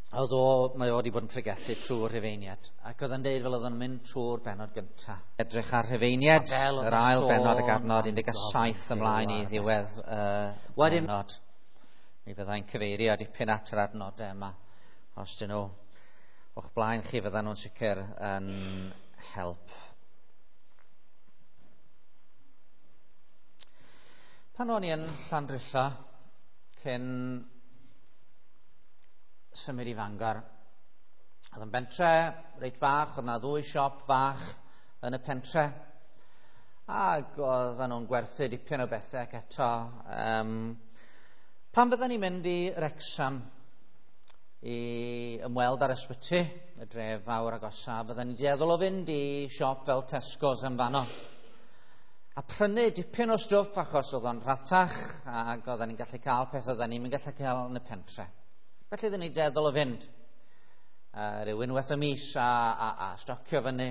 Oedd o, mae o wedi bod yn pregethu trwy'r Rhufeiniad. Ac oedd yn deud fel oedd o'n mynd trwy'r benod gyntaf. Edrych ar Rhufeiniad, yr ail benod ac adnod 17 ymlaen i ddiwedd y benod. Mi fyddai'n cyfeirio dipyn at yr adnodau yma. Os dyn nhw o'ch blaen chi, fyddan nhw'n sicr yn help. Pan o'n i yn Llandrillo, cyn symud i Fangor, oedd yn bentre reit fach, oedd yna ddwy siop fach yn y pentre, ac oedden nhw'n gwerthu dipyn o bethau ac eto. Pan fydden ni'n mynd i Wrecsam i ymweld â'r ysbyty, y dref fawr agosa, bydden ni'n dueddol o fynd i siop fel Tesco's yn fanno. A prynu dipyn o stwff achos oedd o'n rhatach ac oedden ni'n gallu cael peth oedden ni'n gallu cael yn y pentre. Felly oedden ni'n dueddol o fynd rhyw unwaith y mis a stocio fyny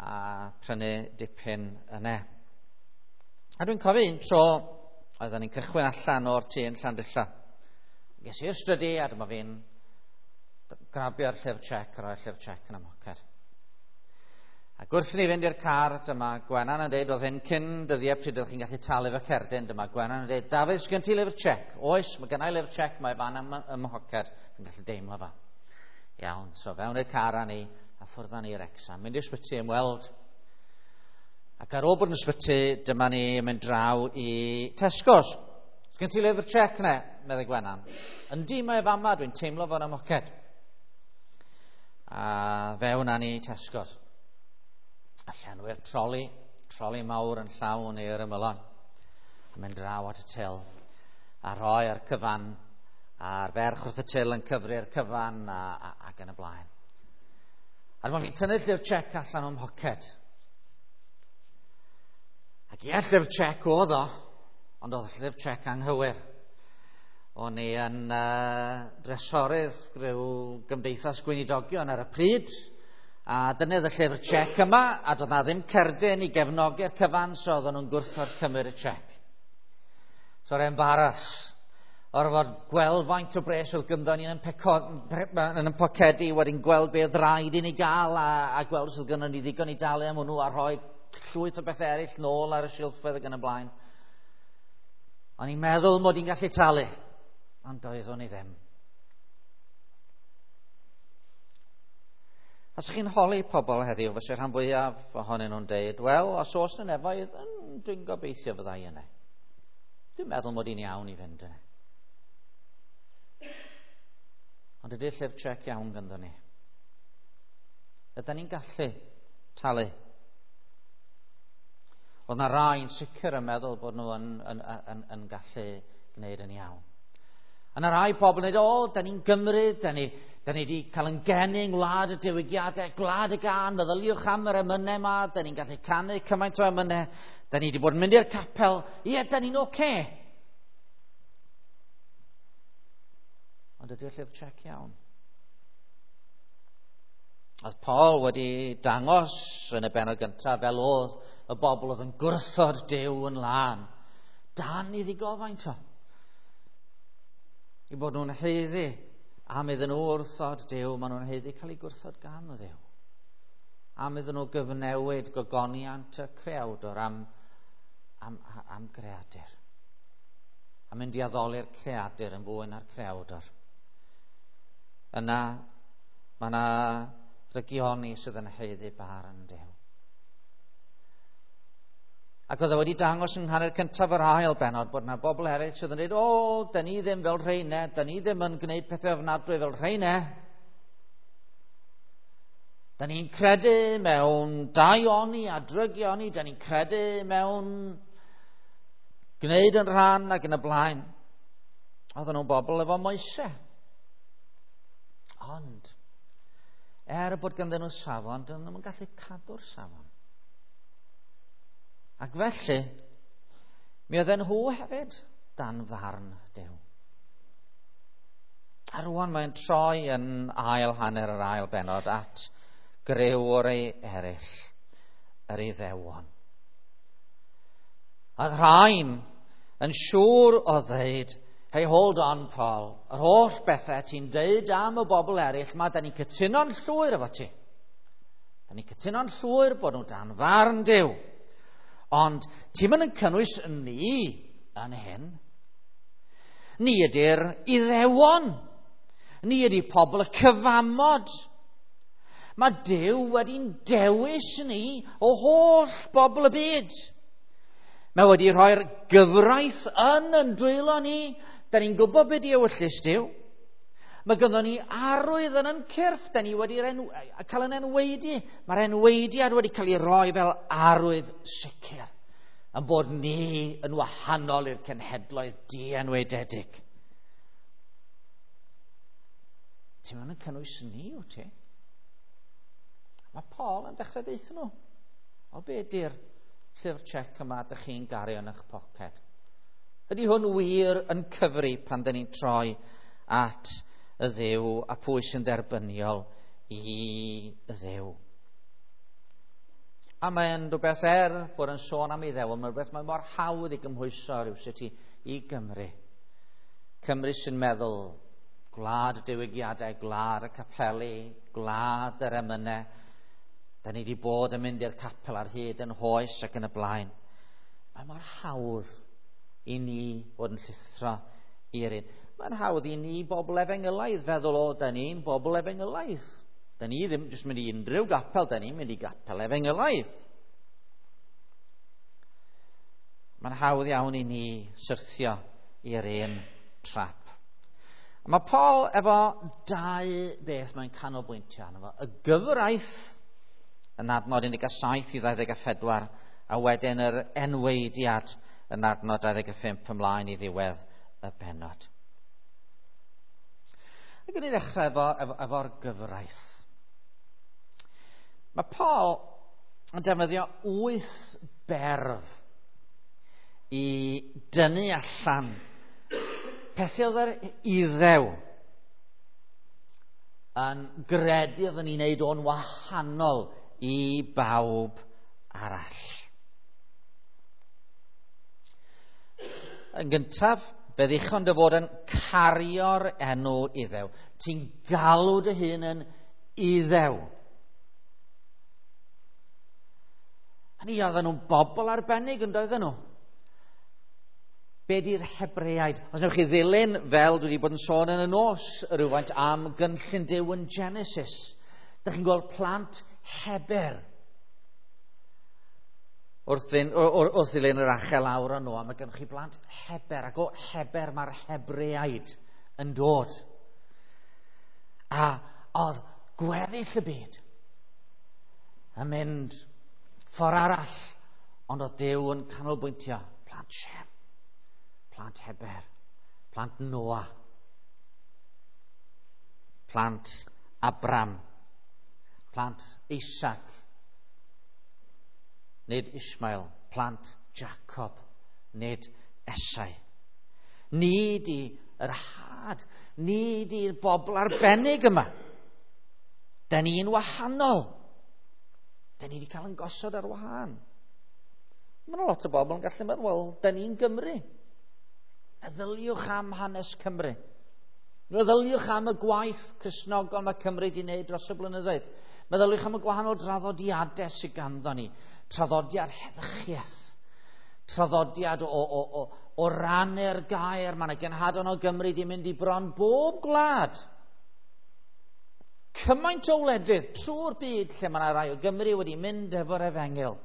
a prynu dipyn yna. A dwi'n cofio un tro oedden ni'n cychwyn allan o'r tŷ yn Llandrillo. Ges i'r stydi a dyma fi'n grabio'r llyfr check a roi'r llyfr check yn y moced. Ac wrth i ni fynd i'r car, dyma Gwenan yn dweud, oedd hyn cyn dyddiau pryd ydych chi'n gallu talu fy cerdyn, dyma Gwenan yn dweud, Dafydd, sgen ti lyfr check? Oes, mae gennau lyfr check, mae fan ym mhoced, dwi'n gallu deimlo fa. Iawn, so fewn i'r car â ni, a ffwrdd â ni i'r Wrecsam, mynd i'r ysbyty ymweld. Ac ar ôl bod yn ysbyty, dyma ni yn mynd draw i Tesco's. Sgen ti lyfr check ne? Meddai Gwenan. Yndi, mae fama, dwi'n teimlo fo'n ymhoced. A fewn â ni i Tesco's. A llenwi'r troli mawr yn llawn i'r ymylon. A mynd draw at y til. A rhoi'r cyfan, a'r ferch wrth y til yn cyfri'r cyfan ac yn y blaen. A dyma fi'n tynnu'r llyfr check allan o'm mhoced. Ac ie, llyfr check oedd o, ond oedd llyfr check anghywir. O'n i yn dresorydd rhyw gymdeithas gweinidogion ar y pryd, a dyna oedd y llyfr check yma, a doedd na ddim cerdyn i gefnogi'r cyfan, so oedden nhw'n gwrthod cymryd y check. So'r embaras, orfod gweld faint o bres oedd gynddo ni yn y pocedi, wedyn gweld beth rhaid i ni gael, a gweld os oedd gynnon ni ddigon i dalu am hwnnw, a rhoi llwyth o bethau eraill nôl ar y silffoedd ac yn y blaen. O'n i'n meddwl mod i'n gallu talu, ond doeddwn i ddim. Os ych chi'n holi pobl heddiw, fysa rhan fwyaf ohonyn nhw'n deud, wel, os oes yna nefoedd, dwi'n gobeithio fydda i yna. Dwi'n meddwl mod i'n iawn i fynd yna. Ond ydy'r llyfr check iawn ganddo ni? Ydyn ni'n gallu talu? Oedd na rai yn sicr yn meddwl bod nhw yn gallu gwneud yn iawn. A na rai pobl yn dweud, o, da ni'n Gymru, da ni wedi cael yn geni yng ngwlad y diwygiadau, gwlad y gân, meddyliwch am yr emynau yma, da ni'n gallu canu cymaint o emynau, da ni wedi bod yn mynd i'r capel, ie, da ni'n oce. Ond ydy'r llyfr check iawn? Oedd Paul wedi dangos yn y bennod gyntaf fel oedd y bobl oedd yn gwrthod Duw yn lân, dan i ddigofaint o. I bod nhw'n haeddu am iddyn nhw wrthod Duw, maen nhw'n haeddu cael eu gwrthod gan Dduw. Am iddyn nhw gyfnewid gogoniant y creawdwr am greadur. A mynd i addoli'r creadur yn fwy na'r creawdwr. Yna, mae yna drygioni sydd yn haeddu barn Duw. Ac oedd e wedi dangos yng nghanol cyntaf yr ail bennod bod yna bobl eraill sydd yn dweud, o, da ni ddim fel rheine, da ni ddim yn gwneud pethau ofnadwy fel rheine. Da ni'n credu mewn daioni a drygioni, da ni'n credu mewn gwneud yn rhan ac yn y blaen. Oedden nhw'n bobl efo moesau. Ond, er bod ganddyn nhw safon, dyn nhw'n gallu cadw'r safon. Ac felly, mi oedden nhw hefyd dan farn Duw. A rwan mae'n troi yn ail hanner yr ail bennod at griw o'r ei eraill, yr Iddewon. A rhain yn siŵr o ddeud, Hey, hold on, Paul. Yr holl bethau ti'n deud am y bobl eraill ma, da ni'n cytuno'n llwyr efo ti. Da ni'n cytuno'n llwyr bod nhw dan farn Duw. Ond ti'n mynd yn cynnwys ni yn hyn. Ni ydy'r Iddewon. Ni ydy pobl y cyfamod. Mae Duw wedi'n dewis ni o holl bobl y byd. Mae wedi rhoi'r gyfraith yn dwylo ni. Da ni'n gwybod beth di ewyllys Duw. Mae gynnon ni arwydd yn ein cyrff. Da ni wedi cael yn enwaedu. Mae'r enwaediad wedi cael ei roi fel arwydd sicr. Yn bod ni yn wahanol i'r cenhedloedd dienwaededig. Ti'n mynd yn cynnwys ni, wyt ti? Mae Paul yn dechrau deutha nhw. O, be di'r llyfr check yma ydych chi'n gario yn eich poced? Ydy hwn wir yn cyfri pan dyn ni'n troi at y Dduw a pwy sy'n dderbyniol i Dduw? A mae'n rhywbeth bod yn sôn am Iddew, mae'n rhywbeth mae mor hawdd i gymhwyso rhywsut i Gymru. Cymru sy'n meddwl gwlad y diwygiadau, gwlad y capeli, gwlad yr emynau. Da ni wedi bod yn mynd i'r capel ar hyd yn hoes ac yn y blaen. Mae mor hawdd i ni fod yn llithro i'r un. Mae'n hawdd i ni bobl efengylaidd feddwl, o, da ni'n bobl efengylaidd. Da ni ddim jyst mynd i unrhyw gapel, da ni'n mynd i gapel efengylaidd. Mae'n hawdd iawn i ni syrthio i'r un trap. A mae Paul efo dau beth mae'n canolbwyntio arno fo. Y gyfraith yn adnod 17 i 24, a wedyn yr enwaediad yn adnod 25 ymlaen i ddiwedd y bennod. Ac yn i ddechrau efo'r gyfraith. Mae Paul yn defnyddio 8 berf i dynnu allan pethau oedd yr Iddew yn gredu oedd yn ei wneud o'n wahanol i bawb arall. Yn gyntaf, fe ddichon dy fod yn cario'r enw Iddew. Ti'n galw dy hun yn Iddew. Hynny, oedden nhw'n bobl arbennig yn doedden nhw. Be di'r Hebreaid? Os newch chi ddilyn, fel dwi wedi bod yn sôn yn y nos, rhywfaint am gynllun Duw yn Genesis. Dych chi'n gweld plant Heber. Wrth ddilyn yr achel lawr o Noa, mae gennych chi blant Heber, ac o Heber mae'r Hebreaid yn dod. A oedd gweddill y byd yn mynd ffordd arall, ond oedd Duw yn canolbwyntio plant Shem, plant Heber, plant Noa, plant Abram, plant Isaac, nid Ishmael, plant Jacob, nid Esau. Ni di yr had, ni di'r bobl arbennig yma. Da ni'n wahanol. Da ni wedi cael yn gosod ar wahân. Mae yna lot o bobl yn gallu meddwl, wel, da ni'n Gymru. Meddyliwch am hanes Cymru. Meddyliwch am y gwaith Cristnogol mae Cymru wedi wneud dros y blynyddoedd. Meddyliwch am y gwahanol draddodiadau sydd ganddo ni. Traddodiad heddychiaeth. Traddodiad o rannu'r gair. Mae yna genhadon o Gymru wedi mynd i bron bob gwlad. Cymaint o wledydd trwy'r byd lle mae yna rai o Gymru wedi mynd efo'r efengyl.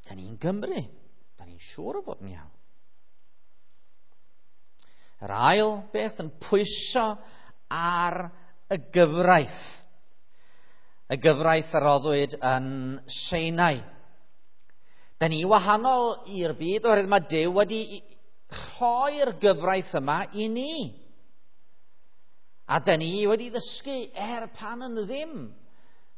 Da ni'n Gymru. Da ni'n siŵr o fod yn iawn. Yr ail beth yn pwyso ar y gyfraith. Y gyfraith a roddwyd yn Sinai. Da ni wahanol i'r byd oherwydd mae Duw wedi rhoi'r gyfraith yma i ni. A da ni wedi ddysgu pan yn ddim.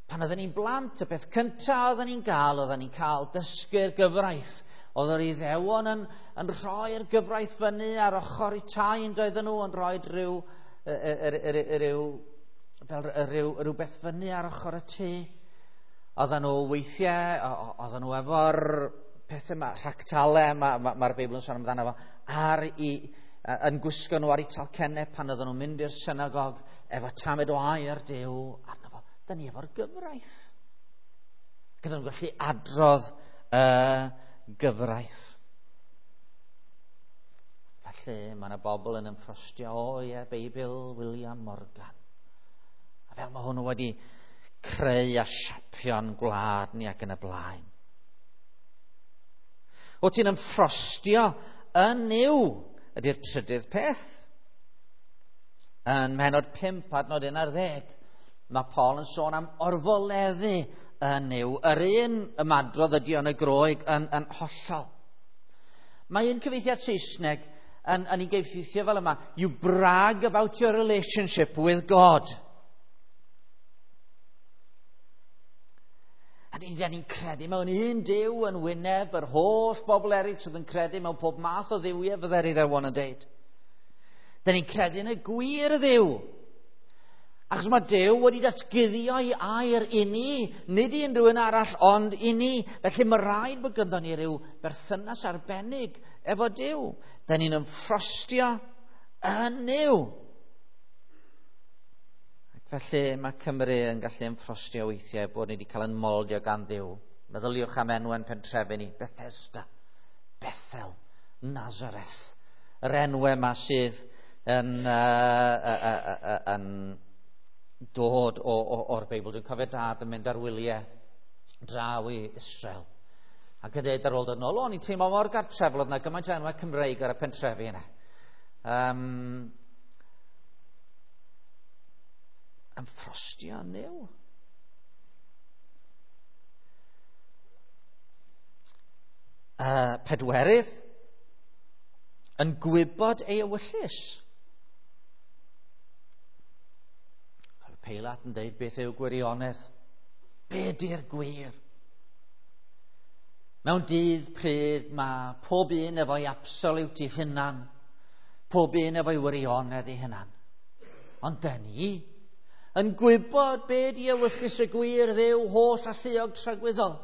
Pan oedden ni'n blant, y peth cyntaf oedden ni'n gael, oedden ni'n cael dysgu'r gyfraith. Oedd yr Iddewon yn rhoi'r gyfraith fyny ar ochr eu tai yn doedden nhw, yn rhoi rhywbeth fyny ar ochr y tŷ. Oedden nhw weithiau, oedden nhw efo'r pethau yma, rhagtalau, mae'r Beibl yn sôn amdano fo, ar i, yn gwisgo nhw ar eu talcennau pan oedden nhw'n mynd i'r synagog efo tamed o air Duw arno fo. Da ni efo'r gyfraith. Ac oedden nhw'n gallu adrodd y gyfraith. Felly mae yna bobl yn ymffrostio, o ie, Beibl William Morgan. A fel mae hwnnw wedi creu a siapio'n gwlad ni ac yn y blaen. O ti'n ymffrostio yn Nuw ydy'r trydydd peth. Yn mhenod 5 adnod 11, mae Paul yn sôn am orfoleddu yn Nuw. Yr un ymadrodd ydy yn y Groeg yn hollol. Mae un cyfieithiad Saesneg yn ei gyfieithio fel yma: "You brag about your relationship with God." A ni'n credu mewn un Duw yn wyneb yr holl bobl eraill sydd yn credu mewn pob math o dduwiau, fydde'r Iddewon yn deud. Da ni'n credu yn y gwir Dduw. Achos mae Duw wedi datguddio ei air i ni, nid i unrhyw un arall, ond i ni. Felly mae rhaid bod gyda ni ryw berthynas arbennig efo Duw. Da ni'n ymffrostio yn Nuw. Felly mae Cymru yn gallu ymffrostio weithiau bod ni wedi cael yn moldio gan Dduw. Meddyliwch am enwau'n pentrefi ni: Bethesda, Bethel, Nazareth. Yr enwau yma sydd yn dod o'r Beibl. Dwi'n cofio Dad yn mynd ar wyliau draw i Israel. Ac yn dweud ar ôl dod nôl, o'n i'n teimlo mor gartrefol, oedd yna gymaint o enwau Cymreig ar y pentrefi yna. Ymffrostio yn Nuw. Pedwerydd, yn gwybod ei ewyllys. Peilat yn dweud, beth yw gwirionedd? Be di'r gwir? Mewn dydd pryd mae pob un efo'i absolute ei hunan, pob un efo'i wirionedd ei hunan. Ond dyn ni yn gwybod be di ewyllys y gwir Dduw holl alluog tragwyddol.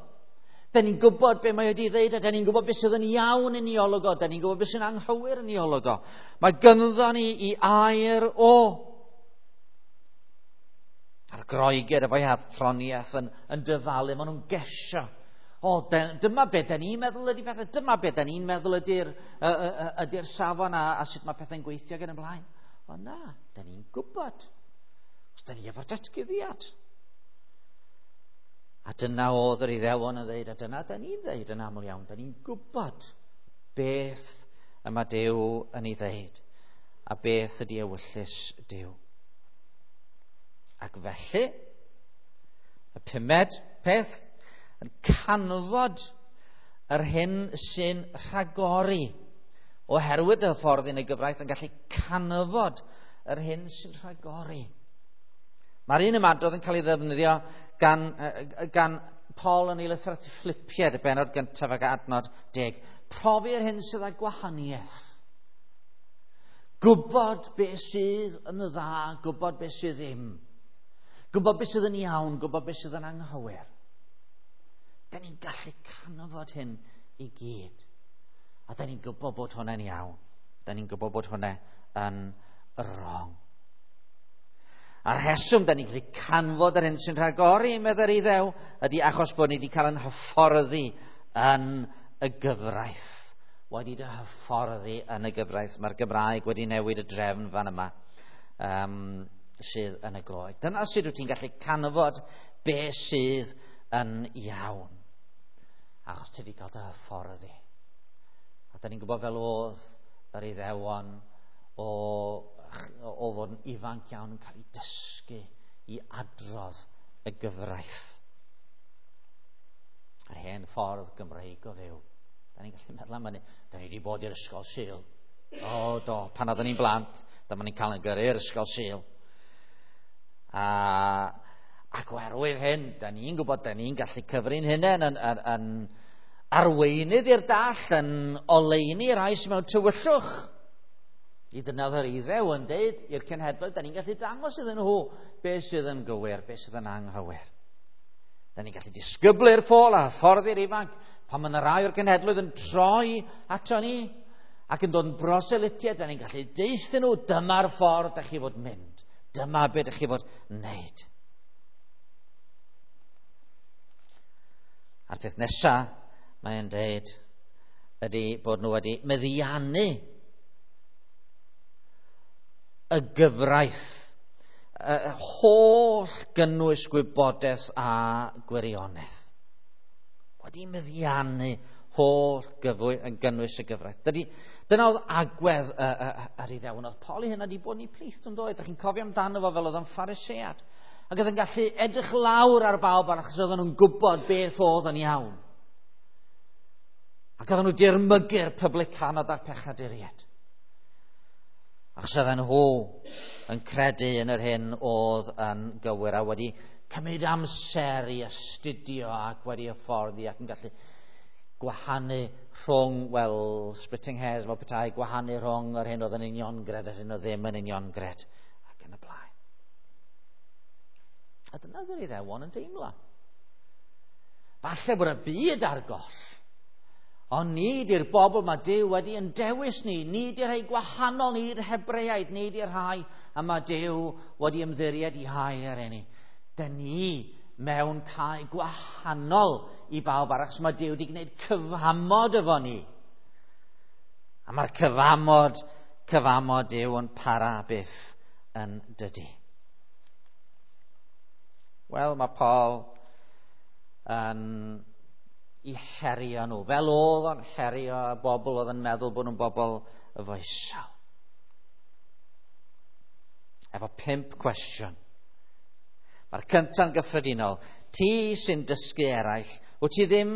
Da ni'n gwybod be mae wedi ddeud, a da ni'n gwybod beth sydd yn iawn yn ei olwg o, da ni'n gwybod beth sy'n anghywir yn ei olwg o. Mae gynddo ni i air o. A'r Groegiaid efo'i athroniaeth yn dyfalu, maen nhw'n gesio. O, dyma be da ni'n meddwl ydy pethau, dyma be da ni'n meddwl ydy'r safon a sut mae pethau'n gweithio gan y blaen. O na, da ni'n gwybod. Os da ni efo'r datguddiad. A dyna oedd yr Iddewon yn dweud, a dyna da ni'n dweud yn aml iawn. Da ni'n gwybod beth y mae Duw yn ei ddeud, a beth ydy ewyllys Duw. Ac felly, y pumed peth, yn canfod yr hyn sy'n rhagori. Oherwydd y ffordd yn y gyfraith yn gallu canfod yr hyn sy'n rhagori. Mae'r un ymadrodd yn cael ei ddefnyddio gan Paul yn ei lythyr at y Philippiaid, y bennod gyntaf ac adnod 10. Profi'r hyn sydd â gwahaniaeth. Gwybod beth sydd yn y dda, gwybod beth sydd ddim. Gwybod beth sydd yn iawn, gwybod beth sydd yn anghywir. Da ni'n gallu canfod hyn i gyd. A da ni'n gwybod bod hwnna'n iawn. Da ni'n gwybod bod hwnna yn wrong. A'r rheswm da ni'n gallu canfod yr hyn sy'n rhagori, meddai'r Iddew, ydy achos bod ni wedi cael yn hyfforddi yn y gyfraith. Wedi dy hyfforddi yn y gyfraith. Mae'r Gymraeg wedi newid y drefn fan yma sydd yn y Groeg. Dyna sut wyt ti'n gallu canfod be sydd yn iawn. Achos ti wedi cael dy hyfforddi. A da ni'n gwybod fel oedd yr Iddewon o fod yn ifanc iawn yn cael ei dysgu i adrodd y gyfraith. Yr hen ffordd Gymreig o fyw. Da ni'n gallu meddwl am hynny. Da ni wedi bod i'r ysgol Sul. O, do, pan oedden ni'n blant, dyma ni'n cael yn gyrru i'r ysgol Sul. Ac oherwydd hyn, da ni'n gwybod, da ni'n gallu cyfri'n hunain yn arweinydd i'r dall, yn oleuni i'r rhai sydd mewn tywyllwch. I dyna oedd yr Iddew yn deud i'r cenhedloedd, da ni'n gallu dangos iddyn nhw beth sydd yn gywir, beth sydd yn anghywir. Da ni'n gallu disgyblu'r ffôl a hyfforddi'r ifanc pan mae yna rai o'r genhedloedd yn troi ato ni ac yn dod yn broselitiaid, da ni'n gallu deuthyn nhw, dyma'r ffordd da chi fod mynd. Dyma beth da chi fod wneud. A'r peth nesaf, mae'n deud, ydy bod nhw wedi meddiannu y gyfraith, y holl gynnwys gwybodaeth a gwirionedd. Wedi meddiannu holl gynnwys y gyfraith. Dyna oedd agwedd yr Iddewon. Oedd Paul ei hunan wedi bod yn eu plith yn doedd. Dach chi'n cofio amdano fo fel oedd o'n Pharisead. Ac oedd yn gallu edrych lawr ar bawb arall achos oedden nhw'n gwybod beth oedd yn iawn. Ac oedden nhw dirmygu'r publicanod a'r pechaduriaid. Achos oedden nhw yn credu yn yr hyn oedd yn gywir a wedi cymryd amser i astudio ac wedi hyfforddi ac yn gallu gwahanu rhwng, wel, splitting hairs fel petai, gwahanu rhwng yr hyn oedd yn uniongred a'r hyn oedd ddim yn uniongred ac yn y blaen. A dyna oedd yr Iddewon yn deimlo. Falle bod y byd ar goll, ond nid i'r bobl mae Duw wedi yn dewis ni, nid i'r rhai gwahanol, nid i'r Hebreaid, nid i'r rhai a mae Duw wedi ymddiried i hair i ni. Dyn ni mewn cae gwahanol i bawb arall, achos mae Duw wedi gwneud cyfamod efo ni. A mae'r cyfamod Duw yn para byth yn dydy. Wel, mae Paul yn i herio nhw, fel oedd o'n herio y bobl oedd yn meddwl bod nhw'n bobl foesol. Efo 5 cwestiwn. Mae'r cynta'n gyffredinol. Ti sy'n dysgu eraill, wyt ti ddim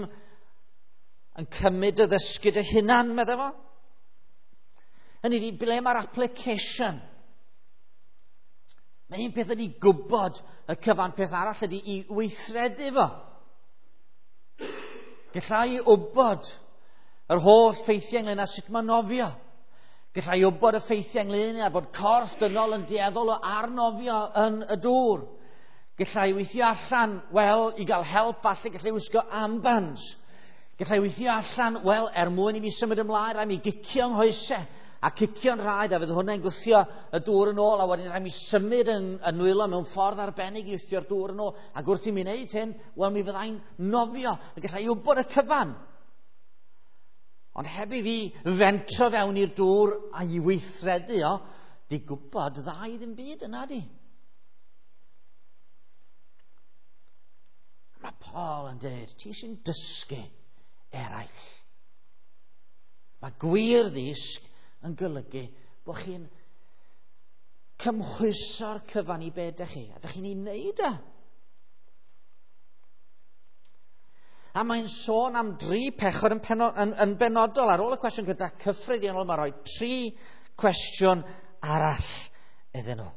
yn cymryd y ddysgu dy hunan, meddai fo? Hynny ydi, ble mae'r application? Mae un peth ydi gwybod y cyfan, peth arall ydi i weithredu fo. Galla i wybod yr holl ffeithiau ynglyn â sut mae nofio. Galla i wybod y ffeithiau ynglyn â bod corff dynol yn dueddol o arnofio yn y dŵr. Galla i weithio allan, wel, i gael help falle, galla i wisgo armbands. Galla i weithio allan, wel, er mwyn i mi symud ymlaen, rhaid mi gicio nghoesau a cicio'n rhaid, a fydd hwnna'n gwthio y dŵr yn ôl, a wedyn rhaid mi symud yn nwylo mewn ffordd arbennig i wthio'r dŵr yn ôl. Ac wrth i mi wneud hyn, wel, mi fyddai'n nofio, a galla i wybod y cyfan. Ond heb i fi fentro fewn i'r dŵr a i weithredu o, di gwybod dda i ddim byd yna di. Mae Paul yn dweud, ti sy'n dysgu eraill. Mae gwir ddysg yn golygu bod chi'n cymhwyso'r cyfan i be dych chi, a dych chi'n ei wneud e. A mae'n sôn am 3 pechod yn benodol. Ar ôl y cwestiwn gyda cyffredinol, mae'n rhoi 3 cwestiwn arall iddyn nhw.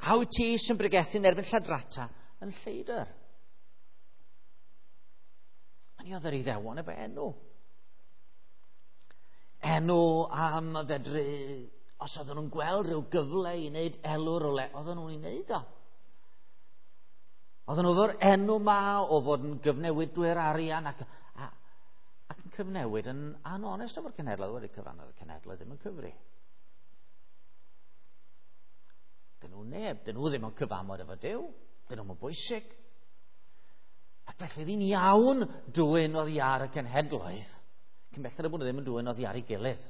A wyt ti sy'n bregethu yn erbyn lladrata yn lleidr? A ni oedd yr Iddewon efo enw. Enw am fedru, os oedden nhw'n gweld rhyw gyfle i wneud elw rywle, oedden nhw'n ei wneud o. Oedden nhw efo'r enw ma o fod yn gyfnewidwyr arian ac yn cyfnewid yn anonest efo'r cenhedloedd. Wedi cyfan oedd y cenhedloedd ddim yn cyfri. Dyn nhw neb, dyn nhw ddim yn cyfamod efo Duw, dyn nhw'n bwysig. Ac felly ddyn iawn dwyn oddi ar y cenhedloedd, cyn belled bod nhw ddim yn dwyn oddi ar ei gilydd.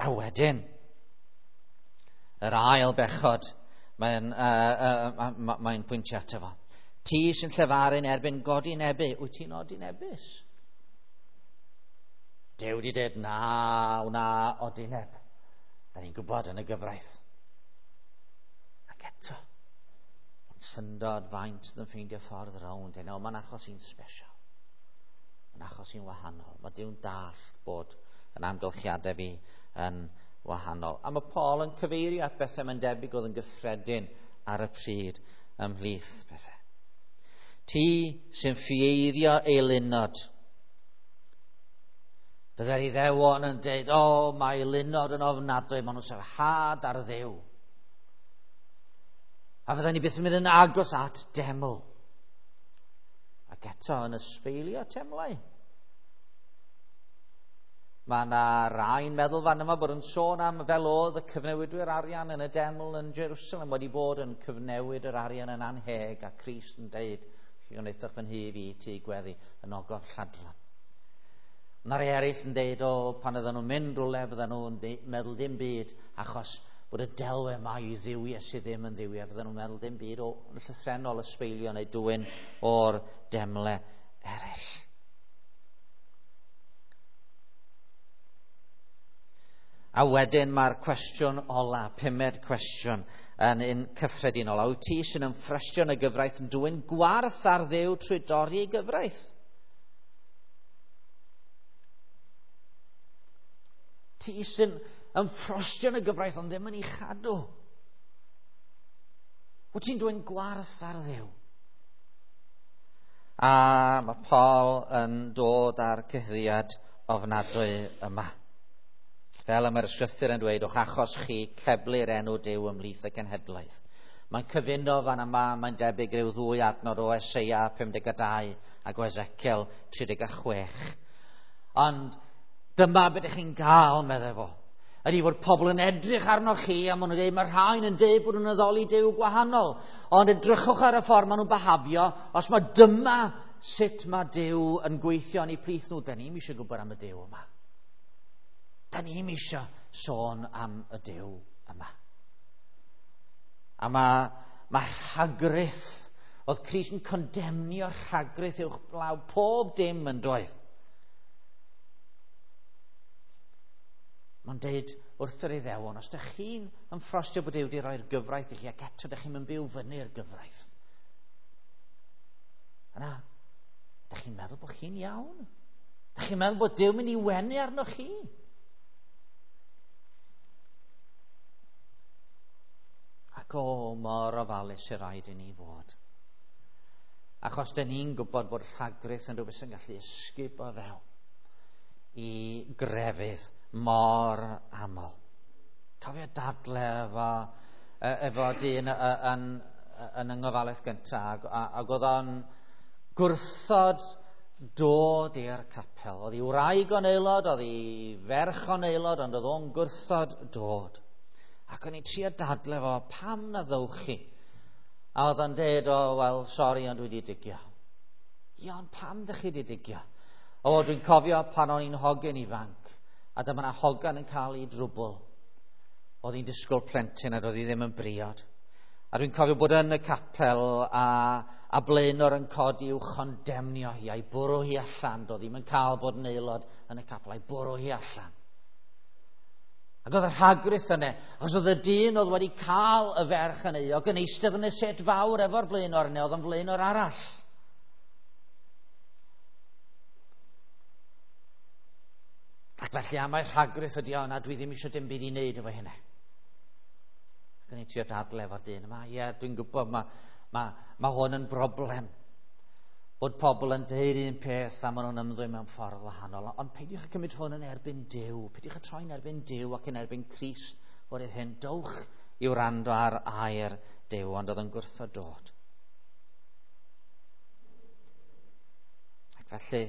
A wedyn, yr ail bechod, mae'n pwyntio ato fo. Ti sy'n llefaru'n erbyn godinebu, wyt ti'n odinebus? Duw wedi dweud, na, wna odineb. Da ni'n gwybod yn y gyfraith. Ac eto, mae'n syndod faint sydd yn ffeindio ffordd rownd. No, mae'n achos i'n special. Mae'n achos i'n wahanol. Mae Duw'n dallt bod yn amgylchiadau fi yn wahanol. A mae Paul yn cyfeirio at bethau mae'n debyg oedd yn gyffredin ar y pryd ymhlith bethau. Ti sy'n ffieiddio eilunod. Byddai'r Iddewon yn dweud, o, mae eilunod yn ofnadwy, maen nhw'n sarhad ar Dduw. A fydden ni byth yn mynd yn agos at deml. Ac eto yn ysbeilio temlau. Mae yna rai'n meddwl fan yma bod yn sôn am fel oedd y cyfnewidwyr arian yn y deml yn Jerusalem wedi bod yn cyfnewid yr arian yn anheg, a Crist yn deud, chi wnaethoch fy nhŷ fi, tŷ gweddi, yn ogof lladron. Mae rhai eraill yn deud, o, pan oedden nhw'n mynd rhywle, fydden nhw'n meddwl dim byd, achos bod y delwau yma i dduwiau sydd ddim yn dduwiau, fydden nhw'n meddwl dim byd o llythrennol ysbeilio neu dwyn o'r demle eraill. A wedyn mae'r cwestiwn ola, pumed cwestiwn, yn un cyffredinol. A wyt ti sy'n ymffrestio yn y gyfraith yn dwyn gwarth ar Dduw trwy dorri ei gyfraith? Ti sy'n ymffrostio yn y gyfraith ond ddim yn ei chadw. Wyt ti'n dwyn gwarth ar Dduw? A mae Paul yn dod â'r cyhuddiad ofnadwy yma. Fel y mae'r ysgrythur yn dweud, o'ch achos chi ceblu'r enw Duw ymhlith y cenhedloedd. Mae'n cyfuno fan yma, mae'n debyg rhyw ddwy adnod o Eseia 52 ac o Ezekiel 36. Ond dyma beth ydych chi'n gael, meddai fo. Ydy fod pobl yn edrych arnoch chi a maen nhw'n dweud, mae rhain yn dweud bod nhw'n addoli Duw gwahanol. Ond edrychwch ar y ffordd maen nhw'n behafio, os mae dyma sut mae Duw yn gweithio yn eu plith nhw, da ni'm eisiau gwybod am y Duw yma. Da ni'm eisiau sôn am y Duw yma. A mae, mae rhagrith, oedd Crist yn condemnio rhagrith uwch blaw pob dim yn doedd. Mae'n deud wrth yr Iddewon, os ydych chi'n ymffrostio bod Duw wedi rhoi'r gyfraith i chi, ac eto ydych chi'n mynd byw fyny'r gyfraith, yna, ydych chi'n meddwl bod chi'n iawn? Ydych chi'n meddwl bod Duw mynd i wenu arnoch chi? Ac o, mor ofalus sy'n rhaid i ni fod. Achos dyn ni'n gwybod bod rhagrith yn rhywbeth sy'n gallu ysgubo fewn i grefydd mor aml. Cofio dadle efo, efo dyn yn, yn yng ngofalaeth gyntaf, ac oedd o'n gwrthod dod i'r capel. Oedd ei wraig o'n aelod, oedd ei ferch o'n aelod, ond oedd o'n gwrthod dod. Ac o'n i'n trio dadle fo, pam na ddowch chi? A oedd o'n deud, o, wel, sori, ond dwi wedi digio. Ie, ond pam dych chi wedi digio? O, dwi'n cofio pan o'n i'n hogyn ifanc, a dyma 'na hogan yn cael ei drwbl. Oedd hi'n disgwyl plentyn a doedd hi ddim yn briod. A dwi'n cofio bod yn y capel a, a blaenor yn codi i'w chondemnio hi, a'i bwrw hi allan. Doedd ddim yn cael bod yn aelod yn y capel, a'i bwrw hi allan. Ac oedd y rhagrith yna, achos oedd y dyn oedd wedi cael y ferch yn euog yn eistedd yn y set fawr efo'r blaenor yna, oedd yn flaenor arall. Ac felly am mai rhagrith ydi o, na dwi ddim eisiau dim byd i wneud efo hynna. Ac o'n i'n trio dadle efo'r dyn yma, ie, dwi'n gwybod mae, mae, mae hwn yn broblem. Bod pobl yn deud un peth a maen nhw'n ymddwyn mewn ffordd wahanol. Ond peidiwch â cymryd hwn yn erbyn Duw. Peidiwch â troi'n erbyn Duw ac yn erbyn Crist o'r hyn. Dowch i wrando ar air Duw, ond oedd yn gwrthod dod. Ac felly,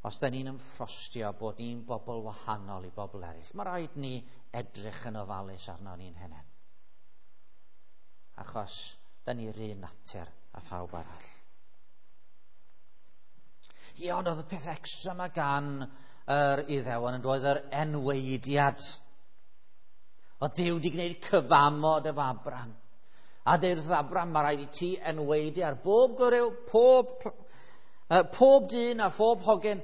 os da ni'n ymffrostio bod ni'n bobl wahanol i bobl eraill, mae rhaid ni edrych yn ofalus arno ni'n hunain. Achos da ni'r un natur a phawb arall. Ie, ond oedd y peth extra yma gan yr Iddewon yn dod yr enweidiad. Oedd Duw wedi gwneud cyfamod efo Abram. A deud wrth Abram, mae rhaid i ti enweidi ar bob gwryw, pob, pob dyn a phob hogyn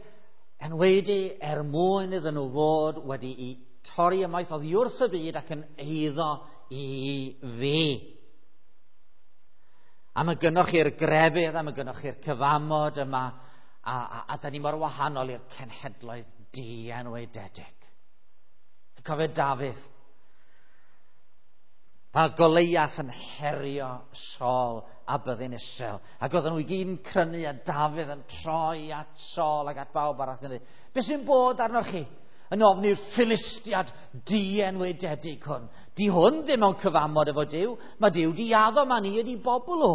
enweidi er mwyn iddyn nhw fod wedi'i torri ymaith oddi wrth y byd ac yn eiddo i fi. A mae gynnoch chi'r grefydd, a mae gynnoch chi'r cyfamod yma, a, a, a da ni mor wahanol i'r cenhedloedd dienwededig. Cofio Dafydd, pan oedd Goleiath yn herio Saul a byddin Israel, ac oedden nhw i gyd yn crynu a Dafydd yn troi at Saul ac at bawb arall yn dweud, beth sy'n bod arnoch chi? Yn ofni'r Philistiad dienwededig hwn. Di hwn ddim mewn cyfamod efo Duw. Mae Duw di addo, mae ni ydi bobl o.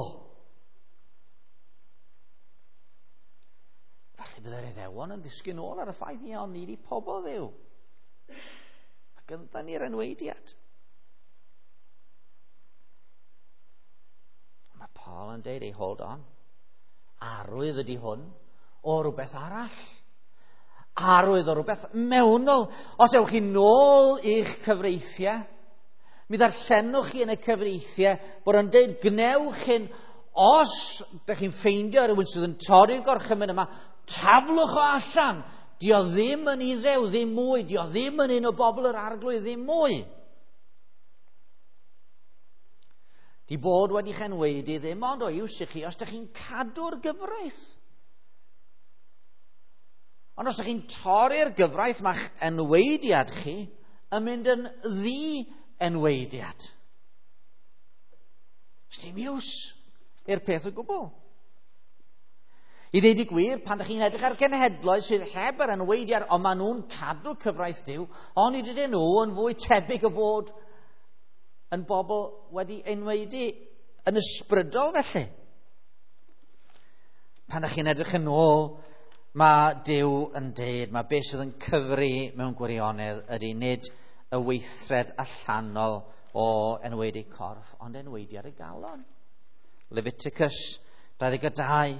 Falle byddai'r Iddewon yn disgyn ôl ar y ffaith, ie, ond ni di pobl Dduw. Ac yndan ni'r enweidiad. Mae Paul yn deud, ei hold on. Arwydd ydy hwn o rhywbeth arall. Arwydd o rhywbeth mewnol. Os ewch chi nôl i'ch cyfreithiau, mi ddarllenwch chi yn y cyfreithiau bod yn deud gwnewch hyn os ydych chi'n ffeindio rhywun sydd yn torri'r gorchymyn yma, taflwch o allan. Di o ddim yn Iddew, ddim mwy. Di o ddim yn un o bobl yr arglwydd, ddim mwy. Di bod wedi chenweidi ddim ond o iws i chi os ydych chi'n cadw'r gyfraith. Ond os ydych chi'n torri'r gyfraith, mae'ch enweidiad chi yn mynd yn ddi-enweidiad. Sdim iws i'r peth o gwbl. I ddeud y gwir, pan ydych chi'n edrych ar genhedloedd sydd heb yr enweidiad, ond maen nhw'n cadw cyfraith Duw, ond nid ydyn nhw yn fwy tebyg o fod yn bobl wedi enweidi yn ysbrydol felly. Pan ydych chi'n edrych yn ôl, mae Duw yn deud, mae beth sydd yn cyfri mewn gwirionedd ydy nid y weithred allanol o enweidi corff, ond enweidi ar y galon. Leviticus 22.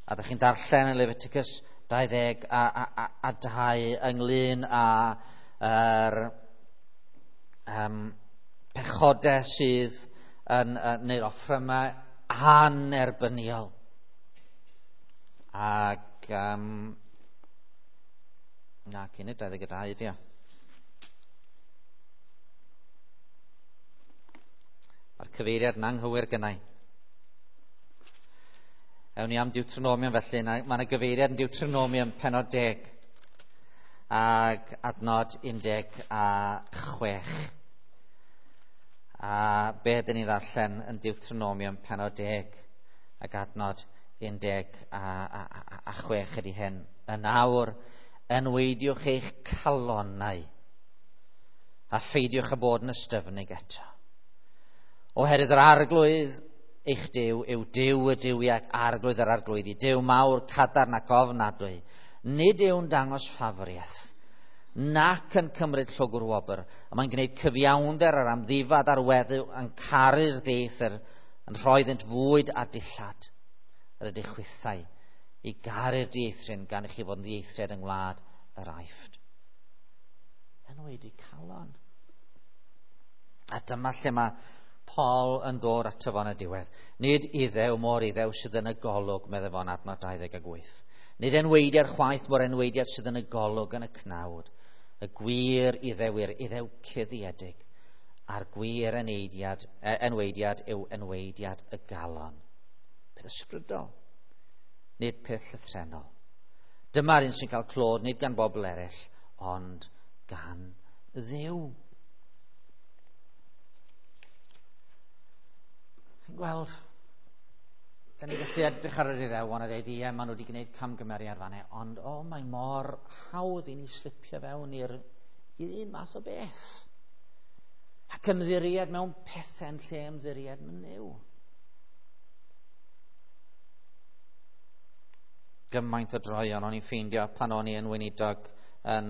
A ydych chi'n darllen yn Leviticus 22 ynglyn â'r pechodau sydd yn neu'r offrymau anerbyniol. Ac na, cyn y 22 ydi o. Mae'r cyfeiriad yn anghywir gynnau. Ewn ni am Deuteronomium felly. Mae yna gyfeiriad yn Deuteronomium pennod 10 ac adnod 16. A be ydyn ni ddarllen yn Deuteronomium pennod 10 ac adnod 16 ydy hyn. Yn awr, enweidiwch eich calonnau a pheidiwch â bod yn ystyfnig eto. Oherwydd yr arglwydd eich Duw yw Duw y duwiau ac arglwydd yr arglwyddi, Duw mawr, cadarn ac ofnadwy. Nid yw'n dangos ffafriaeth, nac yn cymryd llwgr wobr, a mae'n gwneud cyfiawnder ar amddifad a'r weddw yn caru'r dieithr, yn rhoi iddynt fwyd a dillad. Yr ydych chwithau i garu'r dieithryn gan i chi fod yn ddieithriad yng ngwlad yr Aifft. Enwedig calon. A dyma lle mae Paul yn dod ato fo yn y diwedd. Nid Iddew mor Iddew sydd yn y golwg, meddai fo'n adnod 28. Nid enweidiad chwaith mor enweidiad sydd yn y golwg yn y cnawd. Y gwir Iddew yw'r Iddew cuddiedig, a'r gwir enweidiad yw enweidiad y galon. Peth ysbrydol, nid peth llythrennol. Dyma'r un sy'n cael clod, nid gan bobl eraill, ond gan Dduw. Chi'n gweld, da ni gallu edrych ar yr Iddewon a dweud, ie, maen nhw wedi gwneud camgymeriad fanne, ond o, mae mor hawdd i ni slipio fewn i'r un math o beth. Ac ymddiried mewn pethau yn lle ymddiried mewn Nuw. Gymaint o droion o'n i'n ffeindio pan o'n i yn weinidog yn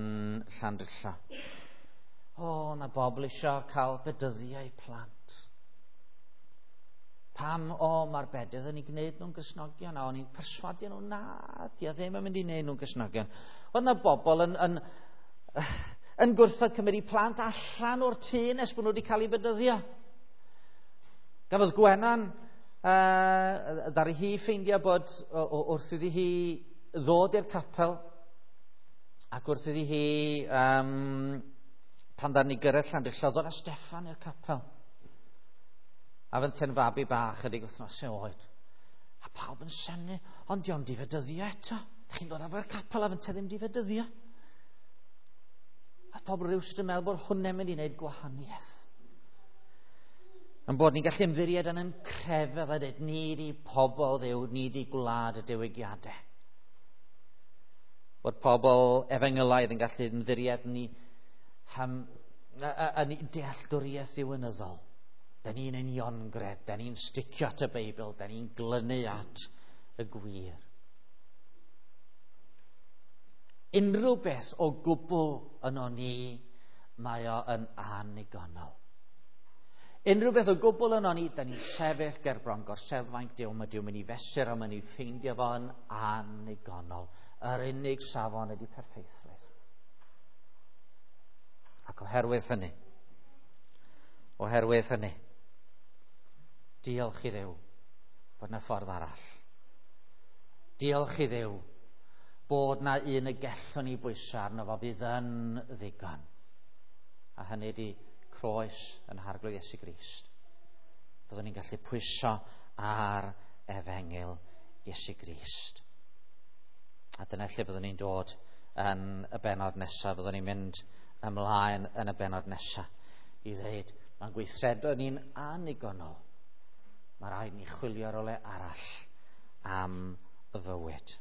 Llandrillo. O, na bobl eisiau cael bedyddiau plant. Pam, o, mae'r bedydd yn ei gwneud nhw'n Gristnogion, a o'n i'n perswadio nhw, na, di o ddim yn mynd i wneud nhw'n Gristnogion. Oedd na bobl yn gwrthod cymryd eu plant allan o'r tŷ nes bod nhw wedi cael eu bedyddio. Gafodd Gwenan, ddaru hi ffeindio bod wrth iddi hi ddod i'r capel, ac wrth iddi hi, pan ddaru ni gyrraedd Llandrillo, ddod â Steffan i'r capel. A fynte'n fabi bach ydig wythnosau oed. A pawb yn synnu, ond dio'm di fedyddio eto. Dych chi'n dod â fo'r capel a fynte ddim di fedyddio. A pobl rywsut yn meddwl bod hwnna'n mynd i wneud gwahaniaeth. Yn bod ni'n gallu ymddiried yn ein crefydd a dweud, ni di pobl Dduw, ni di gwlad y diwygiadau. Bod pobl efengylaidd yn gallu ymddiried ni yn dealltwriaeth ddiwinyddol. Da ni'n uniongred, da ni'n sticio at y Beibl, da ni'n glynu at y gwir. Unrhyw beth o gwbl yno ni, mae o yn annigonol. Unrhyw beth o gwbl yno ni, da ni'n sefyll ger bron gorseddfainc Duw, mae Duw mynd i fesur a mynd i ffeindio fo'n annigonol. Yr unig safon ydy perffeithrwydd. Ac oherwydd hynny, diolch i Dduw bod na ffordd arall. Diolch i Dduw bod na un y gellwn ni bwyso arno fo fydd yn ddigon. A hynny ydy croes ein Harglwydd Iesu Grist. Byddwn ni'n gallu pwyso ar efengyl Iesu Grist. A dyna lle byddwn ni'n dod yn y benod nesaf. Byddwn ni'n mynd ymlaen yn y benod nesaf i ddweud mae'n gweithredoedd ni'n annigonol. Mae rhaid ni chwilio rywle arall am y fywyd.